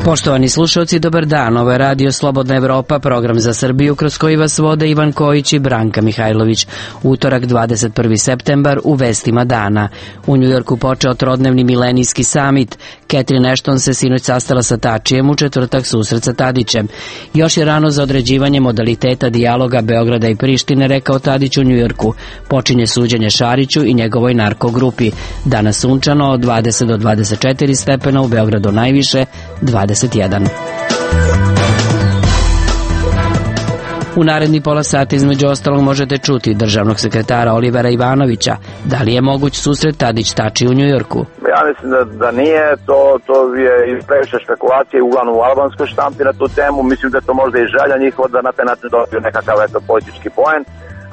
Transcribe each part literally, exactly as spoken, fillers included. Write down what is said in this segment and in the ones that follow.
Poštovani slušalci, dobar dan. Ovo je Radio Slobodna Evropa, program za Srbiju kroz koji vas vode Ivan Kojić i Branka Mihajlović. Utorak, dvadeset prvi septembar, u vestima dana. U Njujorku počeo trodnevni milenijski samit. Catherine Ashton se sinoć sastala sa Tačijem, u četvrtak susret sa Tadićem. Još je rano za određivanje modaliteta dijaloga Beograda i Prištine, rekao Tadić u Njujorku. Počinje suđenje Šariću i njegovoj narkogrupi. Danas sunčano od dvadeset do dvadeset četiri stepena, u Beogradu najviše dvadeset jedan. U naredni pola sata između ostalog možete čuti državnog sekretara Olivera Ivanovića. Da li je moguć susret Tadić-Tači u Njujorku? Ja mislim da, da nije, to, to je previše špekulacije uglavnom u albanskoj štampi na tu temu. Mislim da to možda i želja njihova da na taj način dobiju nekakav eto politički poen.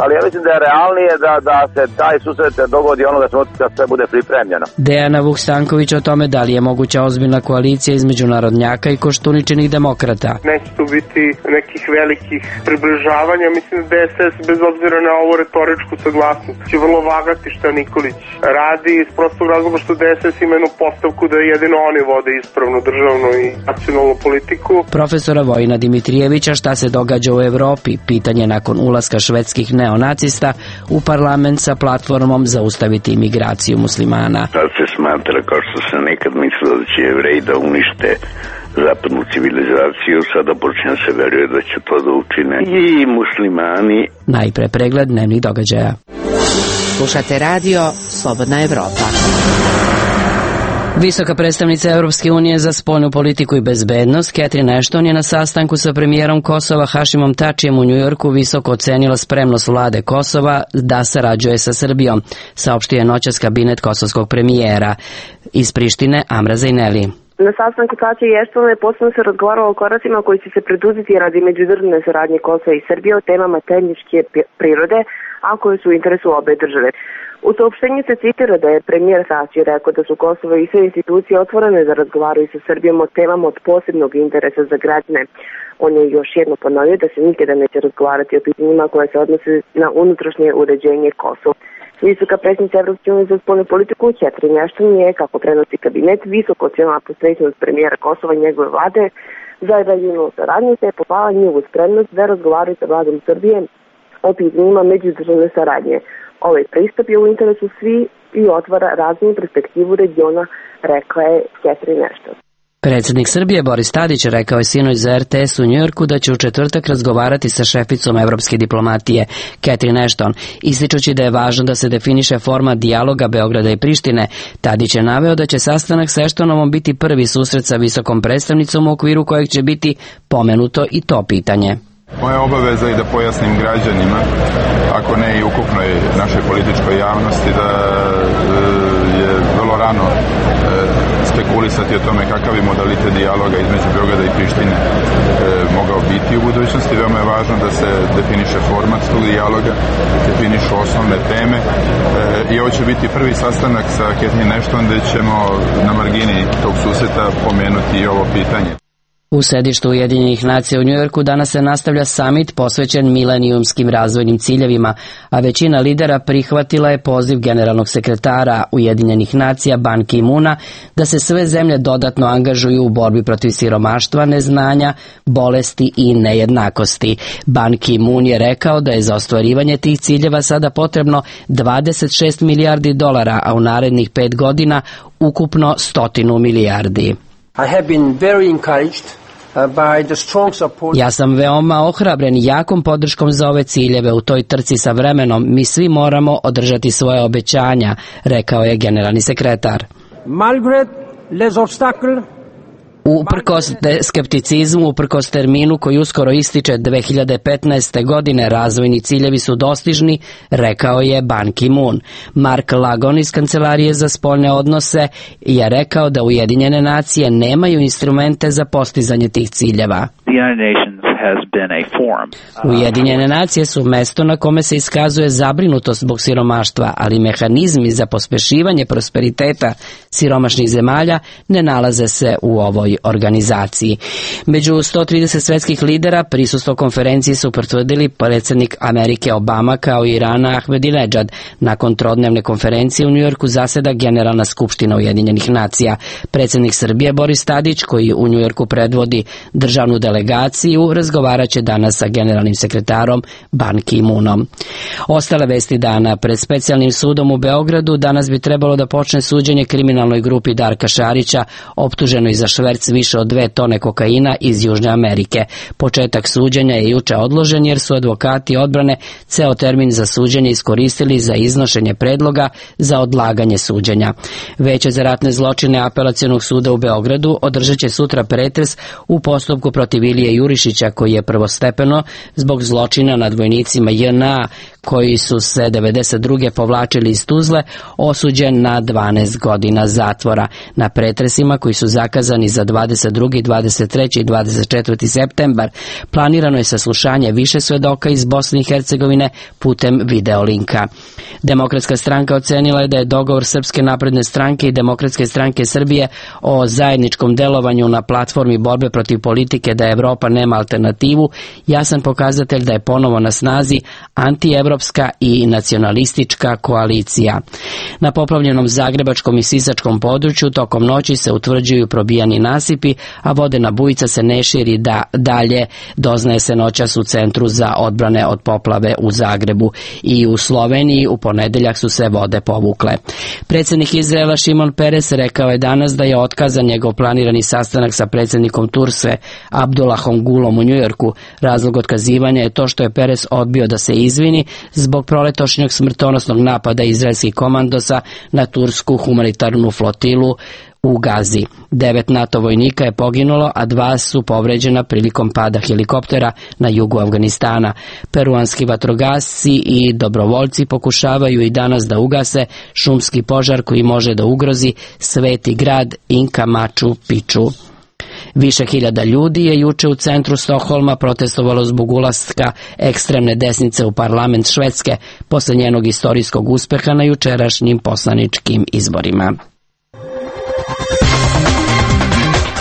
Ali ja mislim da je realnije da, da se taj susret dogodi onoga trenutka kad sve bude pripremljeno. Dejana Vuk-Stanković o tome da li je moguća ozbiljna koalicija između narodnjaka i Koštuničinih demokrata. Neće tu biti nekih velikih približavanja. Mislim da D S S bez obzira na ovu retoričku saglasnost će vrlo vagati šta Nikolić radi iz prostog razloga što D S S ima jednu postavku da jedino oni vode ispravnu državnu i nacionalnu politiku. Profesora Vojina Dimitrijevića šta se događa u Evropi, pitanje nakon ulaska švedskih neonacista u parlament sa platformom zaustaviti imigraciju muslimana. Sad se smatra, kao što se nekad mislilo da će Jevreji da unište zapadnu civilizaciju, sada počne se veruje da će to da učine i muslimani. Najpre pregled dnevnih događaja. Slušate radio Slobodna Evropa. Visoka predstavnica Evropske unije za spoljnu politiku i bezbednost Catherine Ashton je na sastanku sa premijerom Kosova Hašimom Tačijem u Njujorku visoko ocenila spremnost vlade Kosova da sarađuje sa Srbijom, saopštio je noćas kabinet kosovskog premijera. Iz Prištine Amra Zajneli. Na sastanku Tačija i Ashton posebno se razgovaralo o koracima koji će se preduzeti radi međudržavne saradnje Kosova i Srbije o temama tehničke prirode, a koje su u interesu obe države. U saopštenju se citira da je premijer Tači rekao da su Kosovo i sve institucije otvorene da razgovaraju sa Srbijom o temama od posebnog interesa za građane. On je još jedno ponovio da se nikada neće razgovarati o pitanjima koje se odnose na unutrašnje uređenje Kosova. Visoka predsjednica Evropske unije za spoljnu politiku Catherine Ashton je, kako prenosi kabinet, visoko ocenila posvećenost premijera Kosova i njegove vlade za regionalnu saradnju, te je pohvalila njihovu spremnost da razgovaraju sa vladom Srbije o pitanjima međudržavne saradnje. Ovaj pristup je u interesu svi i otvara razvojnu perspektivu regiona, rekla je Catherine Ashton. Predsjednik Srbije Boris Tadić rekao je sinoć za R T S u Njujorku da će u četvrtak razgovarati sa šeficom evropske diplomatije Catherine Ashton, ističući da je važno da se definiše format dijaloga Beograda i Prištine. Tadić je naveo da će sastanak sa Ashtonovom biti prvi susret sa visokom predstavnicom u okviru kojeg će biti pomenuto i to pitanje. Moja obaveza je da pojasnim građanima, ako ne i ukupnoj našoj političkoj javnosti, da je vrlo rano spekulisati o tome kakav je modalitet dijaloga između Beograda i Prištine mogao biti u budućnosti. Veoma je važno da se definiše format tog dijaloga, definišu osnovne teme i ovo će biti prvi sastanak sa Catherine Ashton gde ćemo na margini tog susreta pomenuti i ovo pitanje. U sedištu Ujedinjenih nacija u Njujorku danas se nastavlja samit posvećen milenijumskim razvojnim ciljevima, a većina lidera prihvatila je poziv generalnog sekretara Ujedinjenih nacija Ban Ki-moona da se sve zemlje dodatno angažuju u borbi protiv siromaštva, neznanja, bolesti i nejednakosti. Ban Ki-moon je rekao da je za ostvarivanje tih ciljeva sada potrebno dvadeset šest milijardi dolara, a u narednih pet godina ukupno stotinu milijardi. I have been very encouraged Ja sam veoma ohrabren jakom podrškom za ove ciljeve u toj trci sa vremenom. Mi svi moramo održati svoje obećanja, rekao je generalni sekretar. Malgré les obstacles, Uprkos skepticizmu, uprkos terminu koji uskoro ističe dve hiljade petnaeste. godine, razvojni ciljevi su dostižni, rekao je Ban Ki-moon. Mark Lagon iz Kancelarije za spoljne odnose je rekao da Ujedinjene nacije nemaju instrumente za postizanje tih ciljeva. The United Nations has been a forum. Ujedinjene nacije su mesto na kome se iskazuje zabrinutost zbog siromaštva, ali mehanizmi za pospešivanje prosperiteta siromašnih zemalja ne nalaze se u ovoj organizaciji. Među sto trideset svetskih lidera prisustvo konferenciji su potvrdili predsjednik Amerike Obama kao i Irana Ahmedinedžad. Nakon trodnevne konferencije u Njujorku zaseda Generalna skupština Ujedinjenih nacija. Predsjednik Srbije Boris Tadić, koji u Njujorku predvodi državnu delegaciju, razgovarat će danas sa generalnim sekretarom Ban Ki-moonom. Ostale vesti dana. Pred specijalnim sudom u Beogradu danas bi trebalo da počne suđenje kriminalnoj grupi Darka Šarića, optuženoj za šverc više od dve tone kokaina iz Južne Amerike. Početak suđenja je juče odložen jer su advokati odbrane ceo termin za suđenje iskoristili za iznošenje predloga za odlaganje suđenja. Veće za ratne zločine Apelacionog suda u Beogradu održat će sutra pretres u postupku protiv Ilije Jurišića, koji je prvostepeno zbog zločina nad vojnicima J N A koji su se devedeset druge povlačili iz Tuzle, osuđen na dvanaest godina zatvora. Na pretresima koji su zakazani za dvadeset drugi, dvadeset treći i dvadeset četvrti septembar planirano je saslušanje više svedoka iz Bosne i Hercegovine putem videolinka. Demokratska stranka ocenila je da je dogovor Srpske napredne stranke i Demokratske stranke Srbije o zajedničkom delovanju na platformi borbe protiv politike da Evropa nema alternativu jasan pokazatelj da je ponovo na snazi antievropska i nacionalistička koalicija. Na poplavljenom zagrebačkom i sisačkom području tokom noći se utvrđuju probijani nasipi, a vodena bujica se ne širi da dalje, doznaje se noćas u Centru za odbrane od poplave u Zagrebu. I u Sloveniji u ponedeljak su se vode povukle. Predsjednik Izraela Šimon Peres rekao je danas da je otkazan njegov planirani sastanak sa predsjednikom Turske Abdullahom Gulom u Njujorku. Razlog otkazivanja je to što je Peres odbio da se izvini zbog proletošnjeg smrtonosnog napada izraelskih komandosa na tursku humanitarnu flotilu u Gazi. Devet NATO vojnika je poginulo, a dva su povređena prilikom pada helikoptera na jugu Afganistana. Peruanski vatrogasci i dobrovoljci pokušavaju i danas da ugase šumski požar koji može da ugrozi sveti grad Inka Machu Picchu. Više hiljada ljudi je juče u centru Stokholma protestovalo zbog ulaska ekstremne desnice u parlament Švedske posle njenog istorijskog uspeha na jučerašnjim poslaničkim izborima.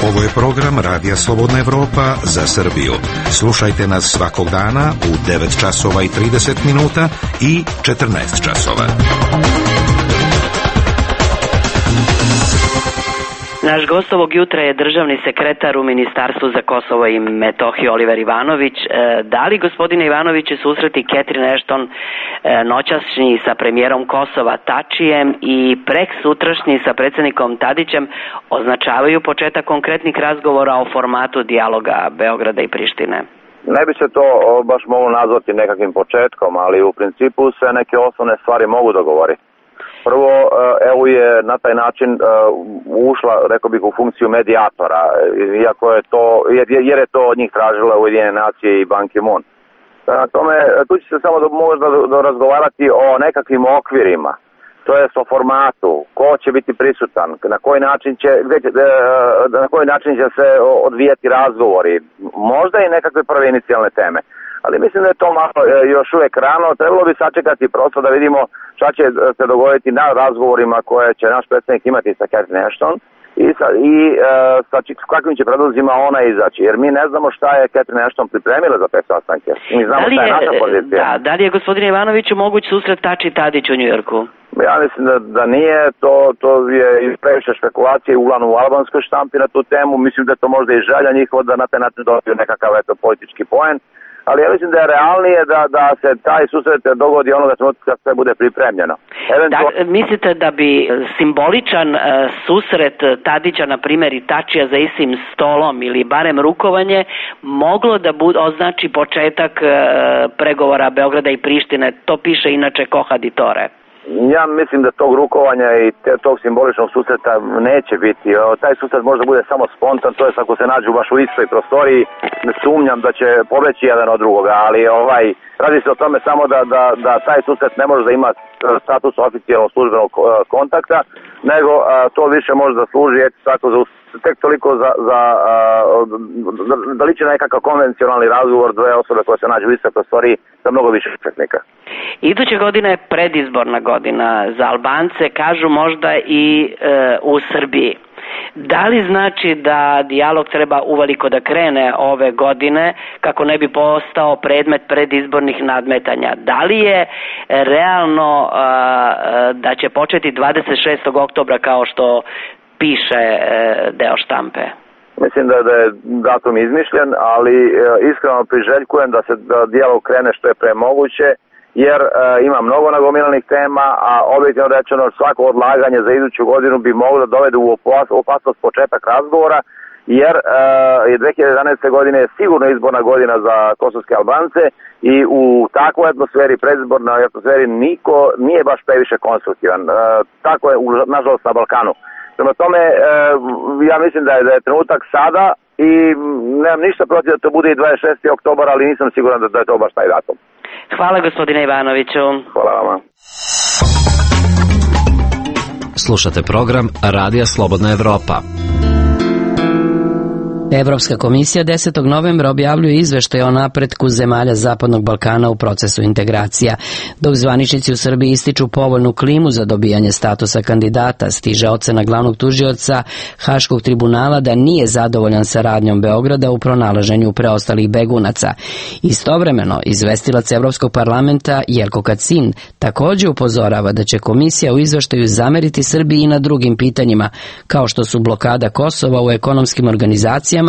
Ovo je program Radija Slobodna Evropa za Srbiju. Slušajte nas svakog dana u devet časova i trideset minuta i četrnaest časova. Naš gost ovog jutra je državni sekretar u Ministarstvu za Kosovo i Metohiju Oliver Ivanović. Da li, gospodine Ivanoviće, susreti Catherine Ashton noćašnji sa premijerom Kosova Tačijem i prek sutrašnji sa predsjednikom Tadićem označavaju početak konkretnih razgovora o formatu dijaloga Beograda i Prištine? Ne bi se to baš moglo nazvati nekakvim početkom, ali u principu se neke osnovne stvari mogu dogovoriti. Prvo, E U je na taj način ušla, rekao bih, u funkciju medijatora, iako je to, jer je to od njih tražila Ujedinjene nacije i Ban Ki-moon. Na tome, tu će se samo možda razgovarati o nekakvim okvirima, to jest o formatu, ko će biti prisutan, na koji način će, na koji način će se odvijati razgovori, možda i nekakve prve inicijalne teme. Ali mislim da je to malo još uvijek rano, trebalo bi sačekati prosto da vidimo šta će se dogoditi na razgovorima koje će naš predsjednik imati sa Catherine Ashton i sa, i, sa kakvim će predlozima ona izaći, jer mi ne znamo šta je Catherine Ashton pripremila za te sastanke. Mi znamo šta je naša pozicija. Da, da li je, gospodine Ivanoviću, moguć susret Tači i Tadić u Njujorku? Ja mislim da, da nije, to, to je previše špekulacije uglavnom u albanskoj štampi na tu temu, mislim da je to možda i želja njihova da na taj način dobiju nekakav eto politički poen. Ali ja mislim da je realnije da, da se taj susret dogodi onoga trenutka kad sve bude pripremljeno. Eventual... Da, mislite da bi simboličan uh, susret Tadića, na primjer, i Tačija za istim stolom ili barem rukovanje moglo da bude, označi početak uh, pregovora Beograda i Prištine? To piše inače Kohaditore. Ja mislim da tog rukovanja i te, tog simboličnog susreta neće biti. O, taj susret možda bude samo spontan, to je ako se nađu baš u istoj prostoriji, ne sumnjam da će pobeći jedan od drugoga, ali ovaj, radi se o tome samo da, da, da taj susret ne može da ima status oficijalnog službenog kontakta, nego a, to više može da služi tako za tek toliko za, za da liči nekakav konvencionalni razgovor dve osobe koje se nađu u istoj prostoriji sa mnogo više učesnika. Iduće godine je predizborna godina za Albance, kažu možda i e, u Srbiji. Da li znači da dijalog treba uveliko da krene ove godine kako ne bi postao predmet predizbornih nadmetanja? Da li je realno uh, da će početi dvadeset šestog oktobra kao što piše uh, deo štampe? Mislim da, da je datum izmišljen, ali uh, iskreno priželjkujem da se da dijalog krene što je pre moguće, jer e, ima mnogo nagomilanih tema, a objektivno rečeno svako odlaganje za iduću godinu bi moglo da dovede u opasnost početak razgovora, jer e, je dve hiljade jedanaeste. godine je sigurno izborna godina za kosovske Albance i u takvoj atmosferi, predizbornoj atmosferi, niko nije baš previše konstruktivan. E, tako je, nažalost, na Balkanu. Prema tome, e, ja mislim da je, da je trenutak sada i nemam ništa protiv da to bude i dvadeset šesti oktobar, ali nisam siguran da, da je to baš taj datum. Hvala gospodine Ivanoviću. Hvala vama. Slušate program Radija Slobodna Evropa. Evropska komisija desetog novembra objavljuje izveštaj o napretku zemalja Zapadnog Balkana u procesu integracija. Dok zvaničnici u Srbiji ističu povoljnu klimu za dobijanje statusa kandidata, stiže ocena glavnog tužioca Haškog tribunala da nije zadovoljan saradnjom Beograda u pronalaženju preostalih begunaca. Istovremeno, izvestilac Evropskog parlamenta Jelko Kacin također upozorava da će komisija u izveštaju zameriti Srbiji i na drugim pitanjima, kao što su blokada Kosova u ekonomskim organizacijama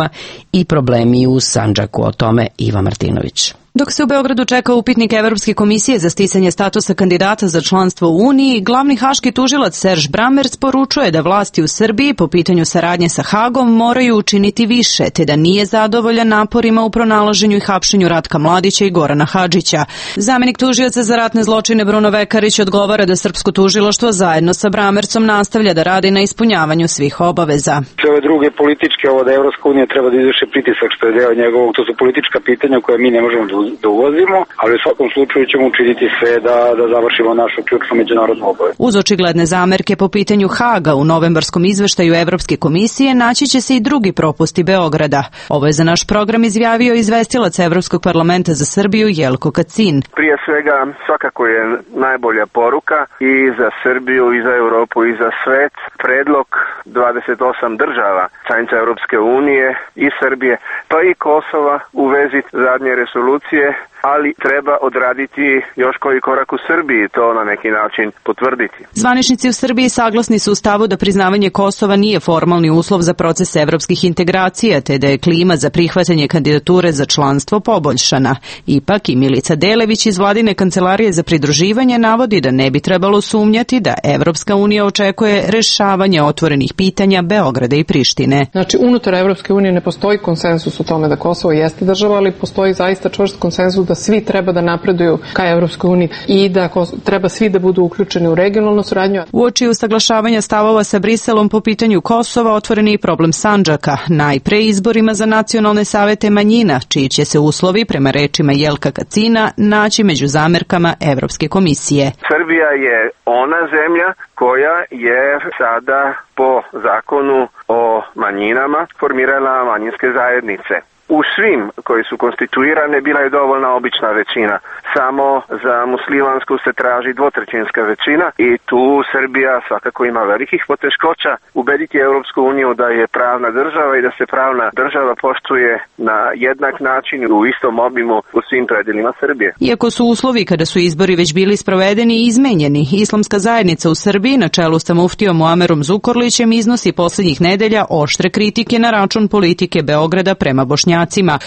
i problemi u Sandžaku. O tome Iva Martinović. Dok se u Beogradu čeka upitnik Evropske komisije za sticanje statusa kandidata za članstvo u Uniji, glavni haški tužilac Serž Brammerc poručuje da vlasti u Srbiji po pitanju saradnje sa Hagom moraju učiniti više, te da nije zadovoljan naporima u pronalaženju i hapšenju Ratka Mladića i Gorana Hadžića. Zamenik tužioca za ratne zločine Bruno Vekarić odgovara da srpsko tužilaštvo zajedno sa Brammercom nastavlja da radi na ispunjavanju svih obaveza. Sve ove druge političke, ovo da Evropska unija treba da izvrši pritisak što je deo njegovog, to su politička pitanja koje mi ne možemo da da uvozimo, ali u svakom slučaju ćemo učiniti sve da, da završimo našu ključnu međunarodnu obavezu. Uz očigledne zamerke po pitanju Haga u novembarskom izveštaju Evropske komisije naći će se i drugi propusti Beograda. Ovo je za naš program izjavio izvestilac Evropskog parlamenta za Srbiju Jelko Kacin. Prije svega svakako je najbolja poruka i za Srbiju i za Europu i za svet predlog dvadeset osam država članica Evropske unije i Srbije pa i Kosova u vezi zadnje resolucije, ali treba odraditi još koji korak u Srbiji, to na neki način potvrditi. Zvaničnici u Srbiji saglasni su u stavu da priznavanje Kosova nije formalni uslov za proces evropskih integracija, te da je klima za prihvatanje kandidature za članstvo poboljšana. Ipak i Milica Delević iz vladine kancelarije za pridruživanje navodi da ne bi trebalo sumnjati da Evropska unija očekuje rešavanje otvorenih pitanja Beograda i Prištine. Znači, unutar Evropske unije ne postoji konsensus o tome da Kosovo jeste država, ali postoji zaista čvrst konsensus da svi treba da napreduju ka Evropskoj uniji i da treba svi da budu uključeni u regionalnu suradnju. Uoči usaglašavanja stavova sa Briselom po pitanju Kosova otvoren je i problem Sandžaka, najpre izborima za nacionalne savete manjina, čiji će se uslovi, prema rečima Jelka Kacina, naći među zamerkama Evropske komisije. Srbija je ona zemlja koja je sada po zakonu o manjinama formirala manjinske zajednice. U svim koji su konstituirane bila je dovoljna obična većina. Samo za muslimansku se traži dvotrećinska većina i tu Srbija svakako ima velikih poteškoća ubediti Europsku uniju da je pravna država i da se pravna država poštuje na jednak način u istom obimu u svim predelima Srbije. Iako su uslovi kada su izbori već bili sprovedeni i izmenjeni, islamska zajednica u Srbiji na čelu sa muftijom Muamerom Zukorlićem iznosi poslednjih nedelja oštre kritike na račun politike Beograda prema Bošnjacima.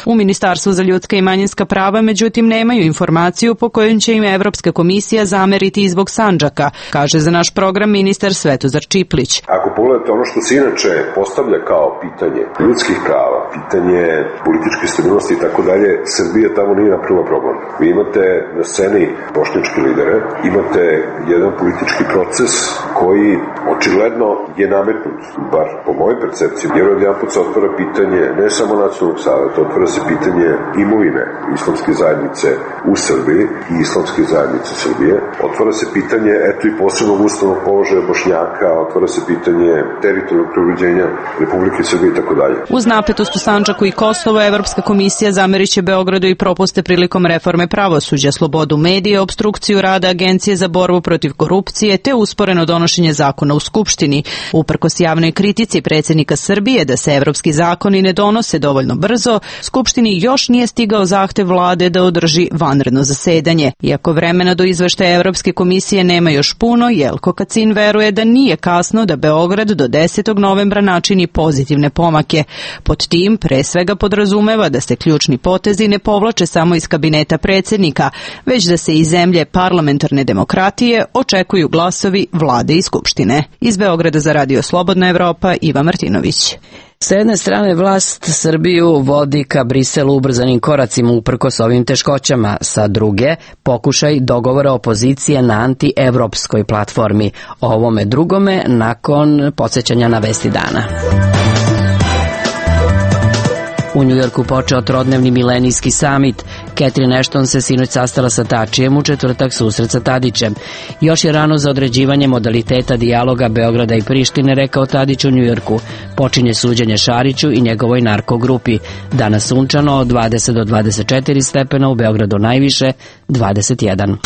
U Ministarstvu za ljudska i manjinska prava međutim nemaju informaciju po kojoj će im Evropska komisija zameriti i zbog Sandžaka, kaže za naš program ministar Svetozar Čiplić. Ako pogledate ono što se inače postavlja kao pitanje ljudskih prava, pitanje političke stabilnosti i tako dalje, Srbija tamo nije napravila problem. Vi imate na sceni bošnjačke lidere, imate jedan politički proces koji očigledno je nametnut, bar po mojoj percepciji, jer od jedan put se otvara pitanje ne samo nacionalnog saveta, otvara se pitanje imovine islamske zajednice u Srbiji i islamske zajednice Srbije, otvara se pitanje, eto i posebnog ustavnog položaja Bošnjaka, otvara se pitanje teritorijalnog preuređenja Republike Srbije i tako dalje. Uz napetost u Sandžaku i Kosovo, Evropska komisija zameriće Beogradu i propuste prilikom reforme pravosuđa, slobodu medija, obstrukciju rada Agencije za borbu protiv korupcije te usporeno donošenje zakona u Skupštini. Uprkos javnoj kritici predsjednika Srbije da se evropski zakoni ne donose dovoljno brzo, Skupštini još nije stigao zahtev vlade da održi vanredno zasedanje. Iako vremena do izveštaja Evropske komisije nema još puno, Jelko Kacin veruje da nije kasno da Beograd do desetog novembra načini pozitivne pomake. Pod tim pre svega podrazumeva da se ključni potezi ne povlače samo iz kabineta predsjednika, već da se iz zemlje parlamentarne demokratije očekuju glasovi vlade i skupštine. Iz Beograda za Radio Slobodna Evropa, Iva Martinović. S jedne strane vlast Srbiju vodi ka Briselu ubrzanim koracima uprkos ovim teškoćama, sa druge pokušaj dogovora opozicije na anti-evropskoj platformi. O ovome drugome nakon podsjećanja na vesti dana. U Njujorku počeo trodnevni milenijski samit. Catherine Ashton se sinoć sastala sa Tačijem, u četvrtak susret sa Tadićem. Još je rano za određivanje modaliteta dijaloga Beograda i Prištine, rekao Tadić u Njujorku. Počinje suđenje Šariću i njegovoj narkogrupi. Danas sunčano od dvadeset do dvadeset četiri stepena, u Beogradu najviše dvadeset jedan.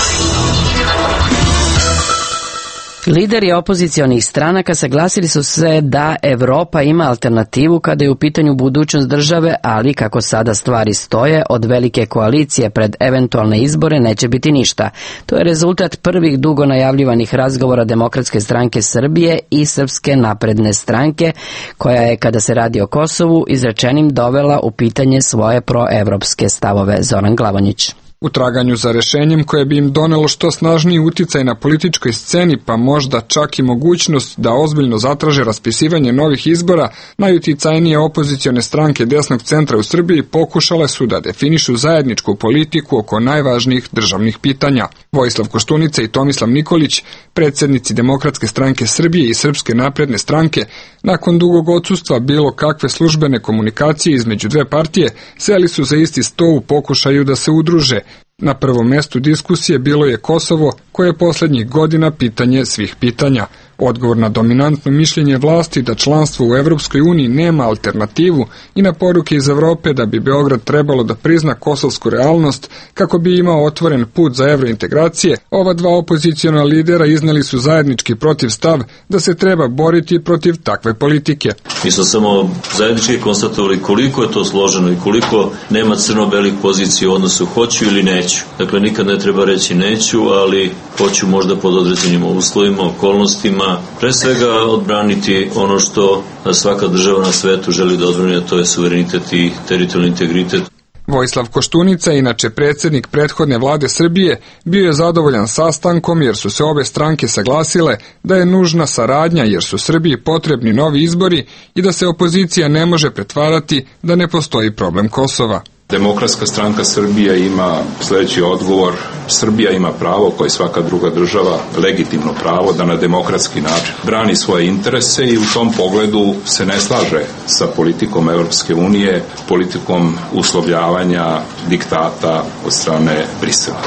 Lideri opozicionih stranaka saglasili su se da Evropa ima alternativu kada je u pitanju budućnost države, ali kako sada stvari stoje, od velike koalicije pred eventualne izbore neće biti ništa. To je rezultat prvih dugo najavljivanih razgovora Demokratske stranke Srbije i Srpske napredne stranke, koja je, kada se radi o Kosovu, izrečenim dovela u pitanje svoje proevropske stavove. Zoran Glavonjić. U traganju za rešenjem koje bi im donelo što snažniji uticaj na političkoj sceni, pa možda čak i mogućnost da ozbiljno zatraže raspisivanje novih izbora, najuticajnije opozicione stranke desnog centra u Srbiji pokušale su da definišu zajedničku politiku oko najvažnijih državnih pitanja. Vojislav Koštunica i Tomislav Nikolić, predsjednici Demokratske stranke Srbije i Srpske napredne stranke, nakon dugog odsustva bilo kakve službene komunikacije između dve partije, seli su za isti sto u pokušaju da se udruže. Na prvom mestu diskusije bilo je Kosovo, koje je posljednjih godina pitanje svih pitanja. Odgovor na dominantno mišljenje vlasti da članstvo u Evropskoj uniji nema alternativu i na poruke iz Evrope da bi Beograd trebalo da prizna kosovsku realnost kako bi imao otvoren put za evrointegracije, ova dva opoziciona lidera izneli su zajednički protiv stav da se treba boriti protiv takve politike. Mi smo samo zajednički konstatovali koliko je to složeno i koliko nema crno-belih pozicija u odnosu hoću ili neću. Dakle, nikad ne treba reći neću, ali hoću možda pod određenim uslovima, okolnostima, pre svega odbraniti ono što svaka država na svetu želi da odbrani, a to je suverenitet i teritorijalni integritet. Vojislav Koštunica, inače predsjednik prethodne vlade Srbije, bio je zadovoljan sastankom jer su se obe stranke saglasile da je nužna saradnja jer su Srbiji potrebni novi izbori i da se opozicija ne može pretvarati da ne postoji problem Kosova. Demokratska stranka Srbija ima sljedeći odgovor. Srbija ima pravo, kao i svaka druga država, legitimno pravo da na demokratski način brani svoje interese i u tom pogledu se ne slaže sa politikom Evropske unije, politikom uslovljavanja diktata od strane Brisela.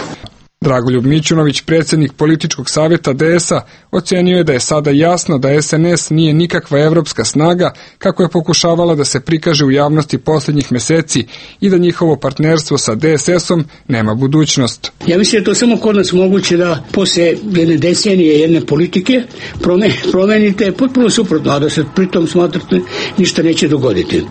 Dragoljub Mićunović, predsjednik političkog savjeta D S-a, ocenio je da je sada jasno da S N S nije nikakva evropska snaga kako je pokušavala da se prikaže u javnosti posljednjih mjeseci i da njihovo partnerstvo sa D S S-om nema budućnost. Ja mislim da je to samo kod nas moguće da posle jedne decenije jedne politike promenite potpuno suprotno, a da se pritom smatrate ništa neće dogoditi.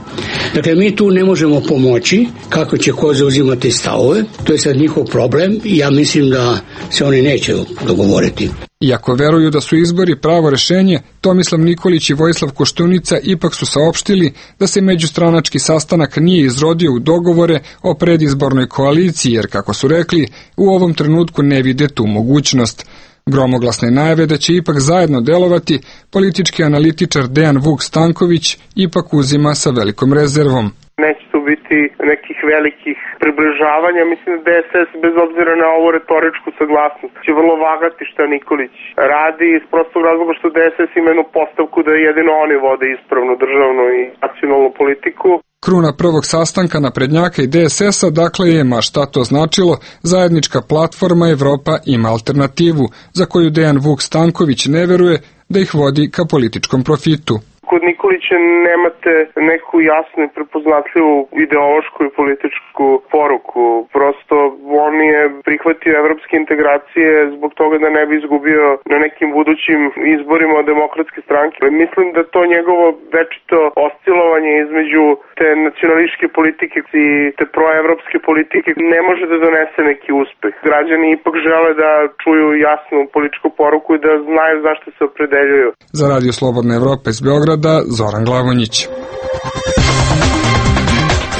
Dakle, mi tu ne možemo pomoći kako će ko zauzimati stavove, to je sad njihov problem i ja mislim da se oni neće dogovoriti. Iako veruju da su izbori pravo rešenje, Tomislav Nikolić i Vojislav Koštunica ipak su saopštili da se međustranački sastanak nije izrodio u dogovore o predizbornoj koaliciji, jer, kako su rekli, u ovom trenutku ne vide tu mogućnost. Gromoglasne najave da će ipak zajedno delovati, politički analitičar Dejan Vuk Stanković ipak uzima sa velikom rezervom. Neće tu biti nekih velikih približavanja. Mislim da D S S bez obzira na ovu retoričku saglasnost će vrlo vagati šta Nikolić radi iz prostog razloga što D S S ima jednu postavku da jedino oni vode ispravnu državnu i nacionalnu politiku. Kruna prvog sastanka naprednjaka i D S S-a dakle je, ma šta to značilo, zajednička platforma Evropa ima alternativu, za koju Dejan Vuk Stanković ne veruje da ih vodi ka političkom profitu. Kod Nikolića nemate neku jasnu i prepoznatljivu ideološku i političku poruku. Prosto on je prihvatio evropske integracije zbog toga da ne bi izgubio na nekim budućim izborima od demokratske stranke. Mislim da to njegovo večito oscilovanje između te nacionalističke politike i te proevropske politike ne može da donese neki uspeh. Građani ipak žele da čuju jasnu političku poruku i da znaju zašto se opredeljuju. Za Radio Slobodna Evropa iz Beograda, Zoran Glavonjić.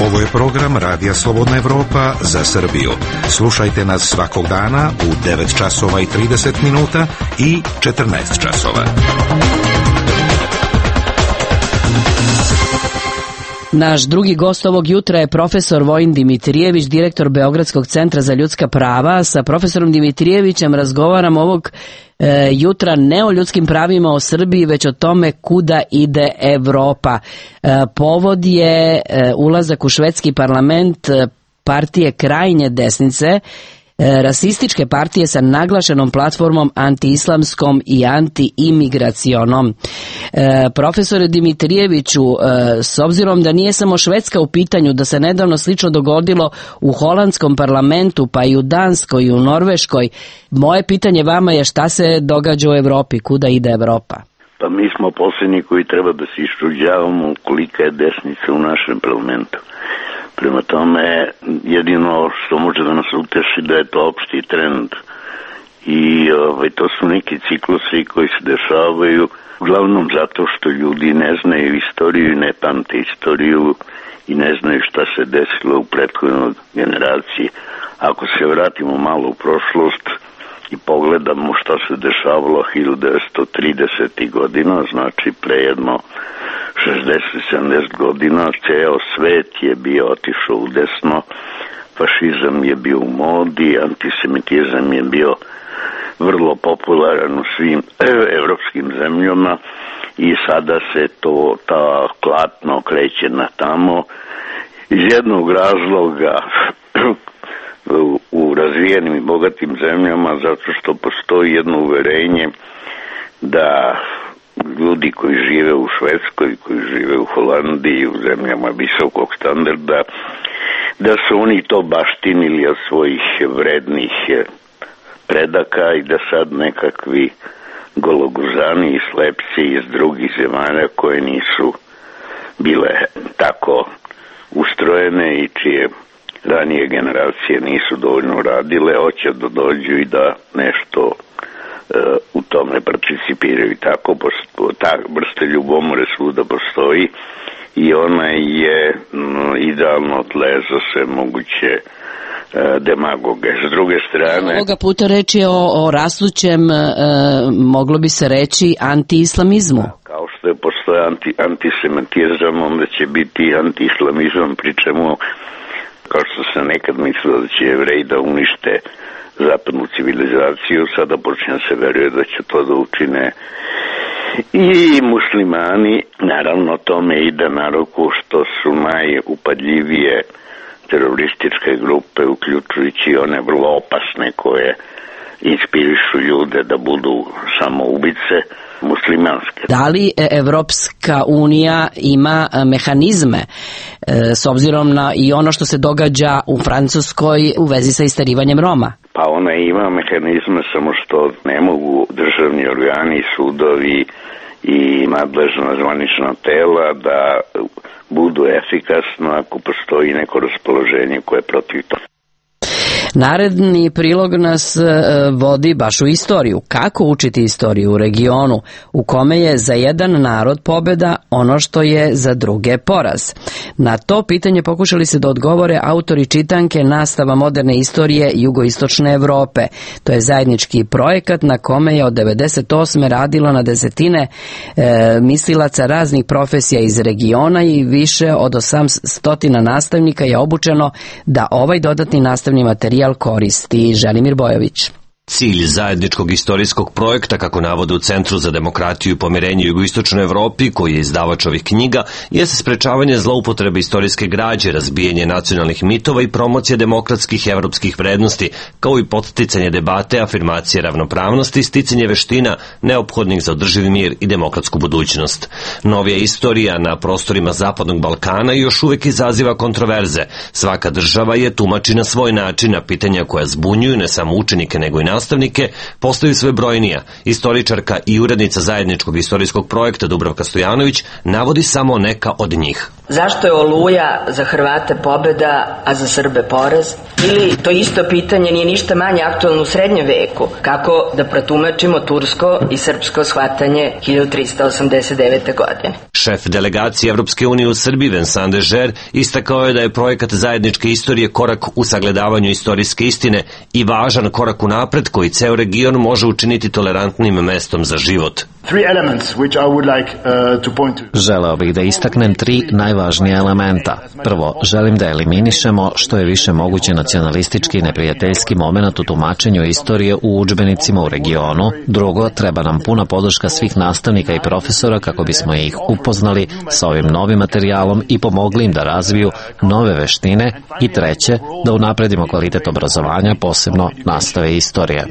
Ovo je program Radija Slobodna Evropa za Srbiju. Slušajte nas svakog dana u devet časova i trideset minuta i četrnaest časova. Naš drugi gost ovog jutra je profesor Vojin Dimitrijević, direktor Beogradskog centra za ljudska prava. Sa profesorom Dimitrijevićem razgovaram ovog e, jutra ne o ljudskim pravima o Srbiji, već o tome kuda ide Evropa. E, povod je e, ulazak u švedski parlament e, partije krajnje desnice, rasističke partije sa naglašenom platformom antiislamskom i antiimigracionom. E, profesore Dimitrijeviću, e, s obzirom da nije samo Švedska u pitanju, da se nedavno slično dogodilo u holandskom parlamentu, pa i u Danskoj i u Norveškoj, moje pitanje vama je šta se događa u Evropi, kuda ide Evropa? Pa mi smo posljednji koji treba da se iščuđavamo kolika je desnica u našem parlamentu. Prema tome, jedino što može da nas uteši da je to opšti trend i ovaj, to su neki ciklusi koji se dešavaju uglavnom zato što ljudi ne znaju istoriju i ne pamte istoriju i ne znaju šta se desilo u prethodnoj generaciji. Ako se vratimo malo u prošlost i pogledamo šta se dešavalo hiljadu devetsto tridesetih godina, znači pre jedno šezdeset sedamdeset godina, ceo svet je bio otišao u desno, fašizam je bio u modi, antisemitizam je bio vrlo popularan u svim evropskim zemljama i sada se to ta klatno kreće na tamo iz jednog razloga u razvijenim i bogatim zemljama, zato što postoji jedno uverenje da ljudi koji žive u Švedskoj, koji žive u Holandiji, u zemljama visokog standarda, da su oni to baštinili od svojih vrednih predaka i da sad nekakvi gologuzani i slepci iz drugih zemalja koje nisu bile tako ustrojene i čije ranije generacije nisu dovoljno radile, hoće da dođu i da nešto u tome participiraju. Tako ta vrsta ljubomore svuda postoji i ona je no, idealno tle za sve moguće uh, demagoge. S druge strane... Ovoga puta reč je o, o rastućem, uh, moglo bi se reći, antiislamizmu. Da, kao što je postoje anti, antisemitizam, onda će biti antiislamizam, pri čemu, kao što sam nekad mislio da će Jevreji da unište zapadnu civilizaciju, sada počne se veruje da će to da učine i muslimani. Naravno, tome ide na ruku što su najupadljivije terorističke grupe, uključujući one vrlo opasne koje inspirišu ljude da budu samoubice, muslimanske. Da li Evropska unija ima mehanizme s obzirom na i ono što se događa u Francuskoj u vezi sa istarivanjem Roma? Pa ona ima mehanizme, samo što ne mogu državni organi, sudovi i nadležna zvanična tela da budu efikasno ako postoji neko raspoloženje koje je protiv toga. Naredni prilog nas vodi baš u istoriju. Kako učiti istoriju u regionu u kome je za jedan narod pobeda ono što je za druge poraz? Na to pitanje pokušali se da odgovore autori čitanke Nastava moderne istorije jugoistočne Evrope. To je zajednički projekat na kome je od devedeset osme radilo na desetine e, mislilaca raznih profesija iz regiona i više od osamsto nastavnika je obučeno da ovaj dodatni nastavni materijal koristi. Želimir Bojović. Cilj zajedničkog istorijskog projekta, kako navode u Centru za demokratiju i pomirenje u jugoistočnoj Evropi, koji je izdavač ovih knjiga, jeste sprečavanje zloupotrebe istorijske građe, razbijanje nacionalnih mitova i promocija demokratskih evropskih vrednosti, kao i podsticanje debate, afirmacije ravnopravnosti i sticanje veština neophodnih za održivi mir i demokratsku budućnost. Novija istorija na prostorima Zapadnog Balkana još uvek izaziva kontroverze. Svaka država je tumači na svoj način, a pitanja koja zbunjuju ne samo učenike nego i nastavnike postaju sve brojnija. Istoričarka i urednica zajedničkog istorijskog projekta Dubravka Stojanović navodi samo neka od njih. Zašto je Oluja za Hrvate pobeda, a za Srbe poraz? Ili to isto pitanje nije ništa manje aktualno u srednjem veku? Kako da protumačimo tursko i srpsko shvatanje hiljadu trista osamdeset devete. godine? Šef delegacije Evropske unije u Srbiji Vincent de Geer istakao je da je projekat zajedničke istorije korak u sagledavanju istorijske istine i važan korak u napred koji ceo region može učiniti tolerantnim mestom za život. Želeo bih da istaknem tri najvažnija elementa. Prvo, želim da eliminišemo što je više moguće nacionalistički i neprijateljski moment u tumačenju istorije u udžbenicima u regionu. Drugo, treba nam puna podrška svih nastavnika i profesora kako bismo ih upoznali sa ovim novim materijalom i pomogli im da razviju nove veštine. I treće, da unapredimo kvalitet obrazovanja, posebno nastave istorije.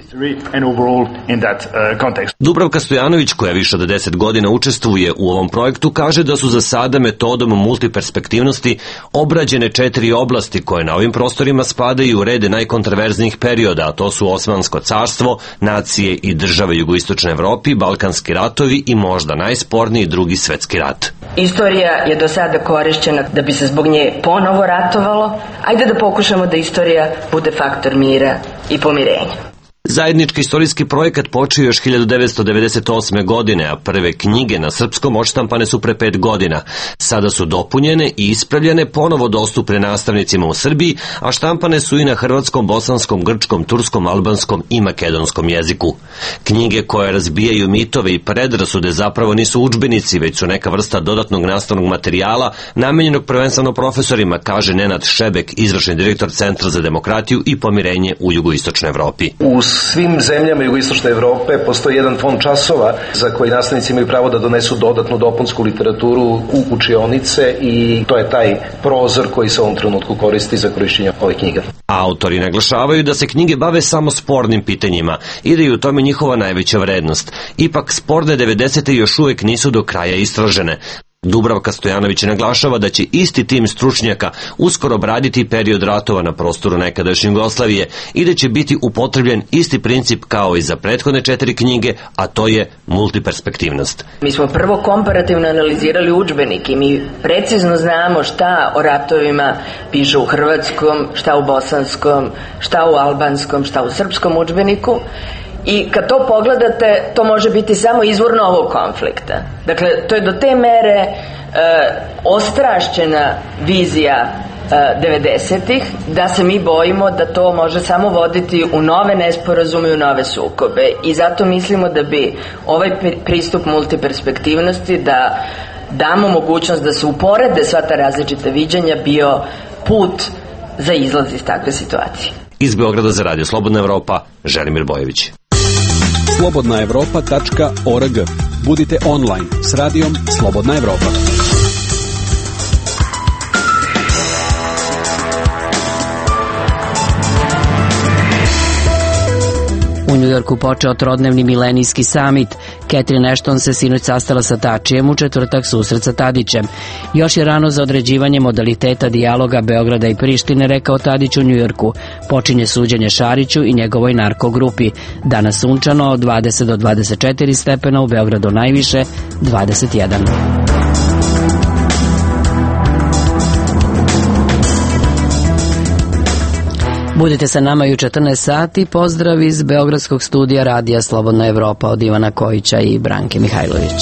Dubravka Stojanović, koja više od deset godina učestvuje u ovom projektu, kaže da su za sada metodom multiperspektivnosti obrađene četiri oblasti koje na ovim prostorima spadaju u rede najkontraverznijih perioda, a to su Osmansko carstvo, nacije i države jugoistočne Evropi, Balkanski ratovi i možda najsporniji Drugi svetski rat. Istorija je do sada korišćena da bi se zbog nje ponovo ratovalo. Ajde da pokušamo da istorija bude faktor mira i pomirenja. Zajednički istorijski projekat počeo još hiljadu devetsto devedeset osme. godine, a prve knjige na srpskom odštampane su pre pet godina. Sada su dopunjene i ispravljene, ponovo dostupne nastavnicima u Srbiji, a štampane su i na hrvatskom, bosanskom, grčkom, turskom, albanskom i makedonskom jeziku. Knjige koje razbijaju mitove i predrasude zapravo nisu udžbenici, već su neka vrsta dodatnog nastavnog materijala namenjenog prvenstveno profesorima, kaže Nenad Šebek, izvršni direktor Centra za demokratiju i pomirenje u jugoistočnoj Evropi. U svim zemljama jugoistočne Evrope postoji jedan fond časova za koji nastavnici imaju pravo da donesu dodatnu dopunsku literaturu u učionice i to je taj prozor koji se u ovom trenutku koristi za korišćenje ovih knjiga. Autori naglašavaju da se knjige bave samo spornim pitanjima i da je u tome njihova najveća vrednost. Ipak sporne devedesete još uvek nisu do kraja istražene. Dubravka Stojanović naglašava da će isti tim stručnjaka uskoro obraditi period ratova na prostoru nekadašnje Jugoslavije i da će biti upotrebljen isti princip kao i za prethodne četiri knjige, a to je multiperspektivnost. Mi smo prvo komparativno analizirali udžbenik i mi precizno znamo šta o ratovima piše u hrvatskom, šta u bosanskom, šta u albanskom, šta u srpskom udžbeniku. I kad to pogledate, to može biti samo izvor novog konflikta. Dakle, to je do te mere e, ostrašćena vizija e, devedesetih da se mi bojimo da to može samo voditi u nove nesporazume i u nove sukobe. I zato mislimo da bi ovaj pristup multiperspektivnosti, da damo mogućnost da se uporede sva ta različita viđanja, bio put za izlaz iz takve situacije. Iz Beograda za Radio Slobodna Evropa, Želimir Bojović. slobodna evropa tačka org. Budite online s radijom Slobodna Evropa. U Njujorku počeo trodnevni milenijski samit. Catherine Ashton se sinoć sastala sa Tačijem, u četvrtak susret sa Tadićem. Još je rano za određivanje modaliteta dijaloga Beograda i Prištine, rekao Tadić u Njujorku. Počinje suđenje Šariću i njegovoj narkogrupi. Danas sunčano od dvadeset do dvadeset četiri stepena, u Beogradu najviše dvadeset jedan. Budite sa nama i u četrnaest sati. Pozdrav iz Beogradskog studija Radija Slobodna Evropa od Ivana Kojića i Branke Mihajlović.